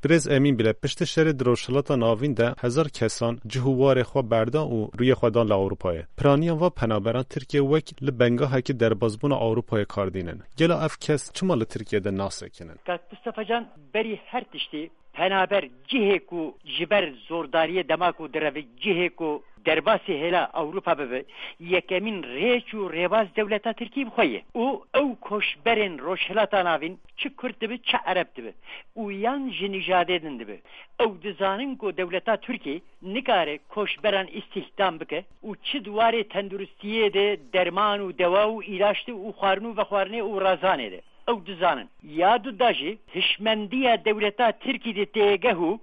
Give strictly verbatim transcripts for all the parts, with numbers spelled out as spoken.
Birêz Emîn Bile, piştî şerê di Rojhilata Navîn de hezar kesan cih û warê xwe berdan û rûyê xwe dan li Ewropayê. Piraniya va penaberan Tirkiye wek li bengahekî derbazbûna Ewropayê kar dînin. Gelo ev kes çima li Tirkiye de nasekinin? Kak Mustafa Can, berî her tiştî penaber cihê ku ji ber zordariyê dema ku direve cihê ku derbasî hêla Ewropa bibe, yekemîn rêç û rêbaz dewleta Tirkî bi xwe ye. Û ew koçberên Rojhilata Navîn çi Kurd dibe, çi Ereb dibe û yan ji nijadê din dibe. Ew dizanin ku dewleta Tirkî nikare koçberan îstihdam bike û çi di warê tenduristiyê de derman û dewa û îlaç de û xwarin û vexwarinê û razanê de. Ew dizanin. Ya du da jî hişmendiya dewleta Tirkî di têgeh û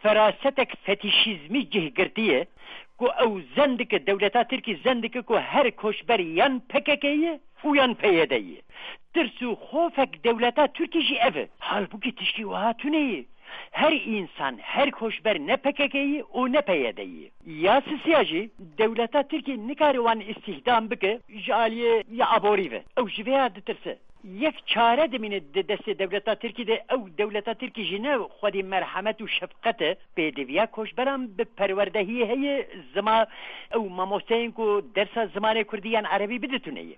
ferasetek fetîşîzmî cih girtiye ku ew zen dike, dewleta Tirkî zen dike ku her koçber yan P K K ye û yan P Y D ye. Tirs û xofek dewleta Tirkî jî ev e. Halbûkî tiştî wiha tune ye. Her însan, her koçber ne P K K ye û ne P Y D ye. Ya sisiya jî dewleta Tirkî nikare wan îstihdam bike ji aliyê ya aborî ve. Ew ji vê ya ditirse. Yek çare dimîne di destê dewleta Tirkî de, ew dewleta Tirkî jî ne xwedî merhemet û şefqet e, pêdiviya koçberan bi perwerdehiyê heye, zima ew mamosteyên ku dersa zimanê kurdî yan erebî biditûne ye.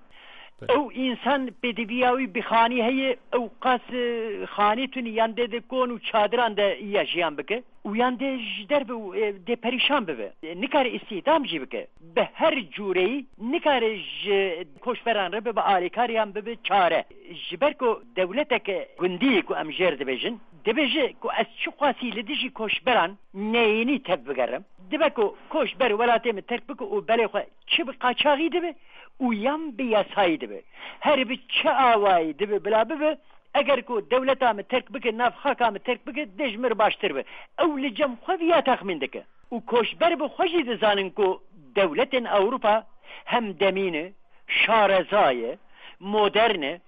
Belê. Ew însan pêdiviya wî bi xanî heye, ew qas, e, xanî tune yan dê di kon û çadiran de ya jiyan bike û yan dê ji derve û, e, dê perîşan bibe. E, nikare îstihdam jî bike. Bi her cûreyî nikare ji koçberan re bibe, alîkariyan bibe çare. Ji ber ku dewleteke gundî ku em jêr dibêjin, dibêje ku ez çiqasî li dijî koçberan neyînî tev bigerim. Dibe ku koçber welatê min terk bike û belê xwe çi bi qaçaxî dibe û yan bi yasayî dibe. Her bi çi awayî dibe bila bibe, eger ku dewleta min terk bike, nav xaka min terk bike, dê ji min re baştir be. Ew li cem xwe viya texmîn dike. Û koçber bi xwe jî dizanin ku dewletên Ewropa hemdemî ne, şareza ye, modern e,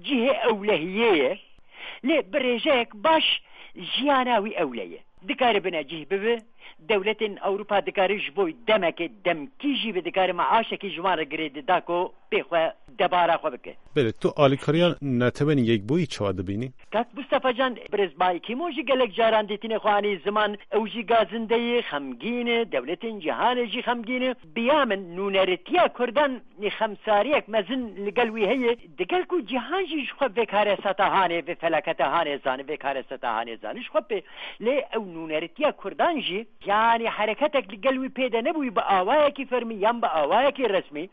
cihê ewlehiyê ye, lê bi rêjeyek baş jiyana wî ewle ye. Dikare binecih bibe, dewletên Ewropa dikare ji bo demekê demkî jî bi dikare meaşekî ji wan re girê dida ku pê xwe debara xwe bike. Belê, tu alîkariya Netewên Yekbûyî çawa dibînî? Kak Mustafa Can, birêz Ban Ki-moon jî gelek caran dîtinê xwe anî ziman, ew jî gazinde ye, xemgîn e, dewletên cîhanê jî xemgîn e. Bi ya min nûneritiya Kurdan xemsariyek mezin li gel wî heye. Digel ku cîhan jî ji xwe vê karesata hanê, vê felaketa hanê zane, vê karesata hanê zane ji xwe pê. Lê ew nûneritiya Kurdan jî, yanî hereketek li gel wî pê de nebûyî, bi awayekî fermî yan bi awayekî resmî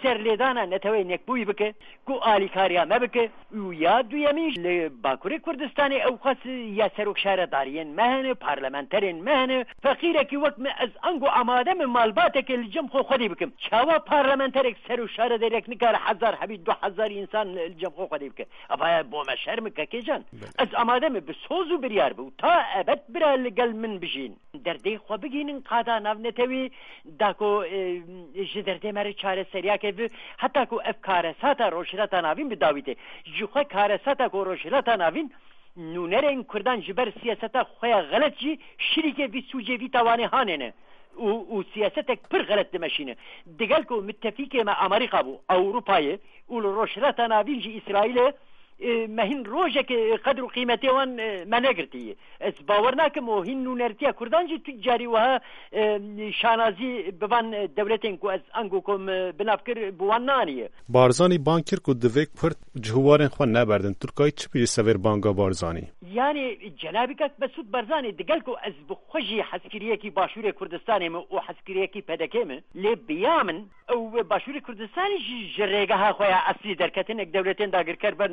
serlêdana Neteweyên Yekbûyî bike, ku alîkariya me bike. Û ya duyemîn, li Bakurê Kurdistanê ew qas ya serokşaredariyên me hene, parlamenterên me hene. Feqîrekî wek min, ez ango amade me malbateke li cem xwe xwedî bikim. Çawa parlamenterek, serokşaredarek nikare hezar hebî, du hezar însan li cem xwe xwedî bike? Eva bo me şerm e, kekê can. Belê. Ez amade me bi soz û biryar bim. Ta ebed bira li gel min bijîn. Derdê xwe bigihînin qada navnetewî, da ku, e, ji derdê me re çareseriyake bi, heta ku ev karesata Rojhilata Navîn bi dawî tê. Ji xwe karesata ku Rojhilata Navîn nûnerên Kurdan ji ber siyaseta xwe ya xelet jî şirîkê vî sûcê, vî tawanê hanê ne û, û siyasetek pir xelet dimeşîne. Digel ku mitefîkê me Amerîka bû, Ewropa ye û li Rojhilata Navîn jî Îsraîl e, e, me hîn rojekê qedr û qîmetê wan, e, me negirtiye. Ez bawer nakim û hîn nûnertiya Kurdan jî tu carî wiha, e, şanazî bi van, e, dewletên ku ez ango ku min bi nav kir, bi wan naniye. Barzanî bang kir ku divê Kurd cih û warên xwe neberdin. Tu dikayî çi bêjî li ser vê banga Barzanî? Yanî cenabî kak Mesûd Barzanî, digel ku ez bi xwe jî hezkiriyekî Başûrê Kurdistanê me û hezkiriyekî P D K me, lê bi ya min ew Başûrê Kurdistanê jî ji rêgeha xwe ya eslî derketin, êk dewletên dagirker ben,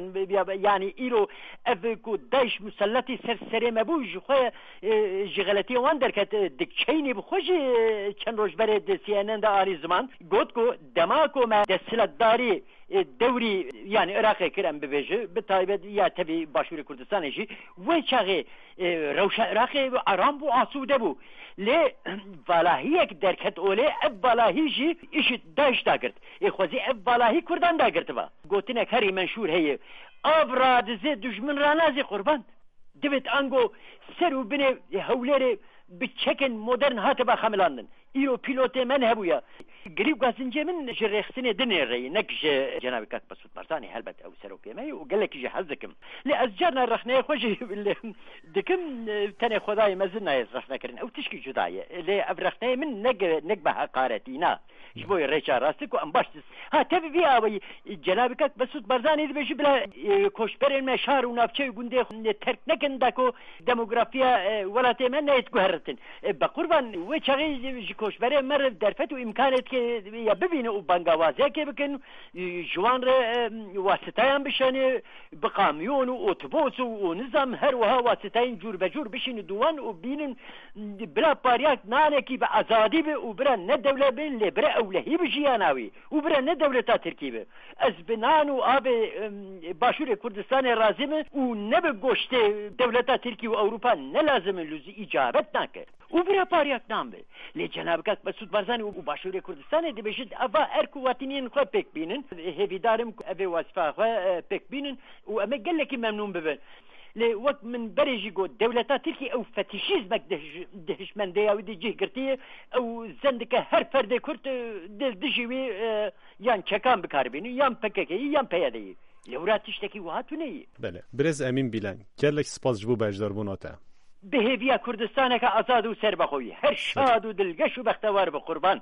yanî îro ev ku DAIŞ muselletî ser serê me bû, ji xwe, e, ji xeletiyê wan derket, e, dikçeynî bi xwe jî, e, çend roj berê di C N N de anî ziman, got ku dema ku me desthilatdarî, e, dewrî, yanî Iraqê kir, em bibêje, bi taybet ya tevî Başûrê Kurdistanê jî, wê çaxê, e, rewşa Iraqê aram bû, asûde bû. Lê valahiyek derket olê, ev valahî jî îşit DAIŞ dagirt. Ê xwezî ev valahî Kurdan dagirtiba. Gotinek herî menşûr heye: Av radizê, dijmin ranazê qurban. Divêt ango ser û binê Hewlêrê bi çekên modern hatiba xemilandin. Îro pîlotê me nehebûya. Girî û gazincê min ji rêxistinê dinê re ye, nek ji cenabê kak Mesûd Barzanî, helbet ew serokê me ye û gelekî jî hez dikim. Lê ez carna rexneyê xwe jî li dikim, e, tenê Xwedayê mezin nayê rexne kirin. Ew tişkî cuda ye. Lê ev rexneyê min ne ge-, ne bi heqaretî, na. Ji bo rêça rastî ku em baş dis-, ha, tevî vî awayî, e, cenabê kak Mesûd Barzanî dibêje bila, e, koçberên me şar û navçeyê gundê xwe terk nekin, da ku demografiya, e, welatê me neyê guheritin. E, be qurban, wê çaxê ji koçberê me re derfet û îmkanêt ke ya bibîne û bangawaziyekê bikin, e, ji wan re, e, wasitayan bişanê, bi kamyon û otobos û, û nizam her wiha wasitayên cûr be cûr bişînin dû wan û bînin bila pariyek nanekî bi azadî be û bira ne dewlet be, lê bira ewlehî bi jiyana wî û bira ne dewleta Tirkî be. Ez bi nan û avê, em, Başûrê Kurdistanê razî me û ne bi goştê dewleta Tirkî û Ewropa ne lazim e, lûzî îcabet nake. Û bira pariyek nan be. Lê cenabê kak Mesûd Barzanî û Başûrê Kurdistanê dibêjin, eva erk û watiniyên xwe pêk bînin. Hêvîdar im ku evê wazîfa xwe, e, pêk bînin û em ê gelekî memnûn bibin. Lê wek min berê jî got, dewleta Tirkî ew fetîşîzmek dihij-, dihişmendeya wî di cih girtiye. Ew zen dike her ferdê Kurd, e, di dijî wî, e, yan çekan bi kar bînin, yan P K K'yî, yan P Y D'yî. Lewra tiştekî wiha tune ye. Belê. Birêz Emîn Bîlen, gelek spas ji bo beşdarbûna te. Bi hêviya Kurdistaneke azad û serbixwe wî. Her şad û dilgeş û bextewar be qurban.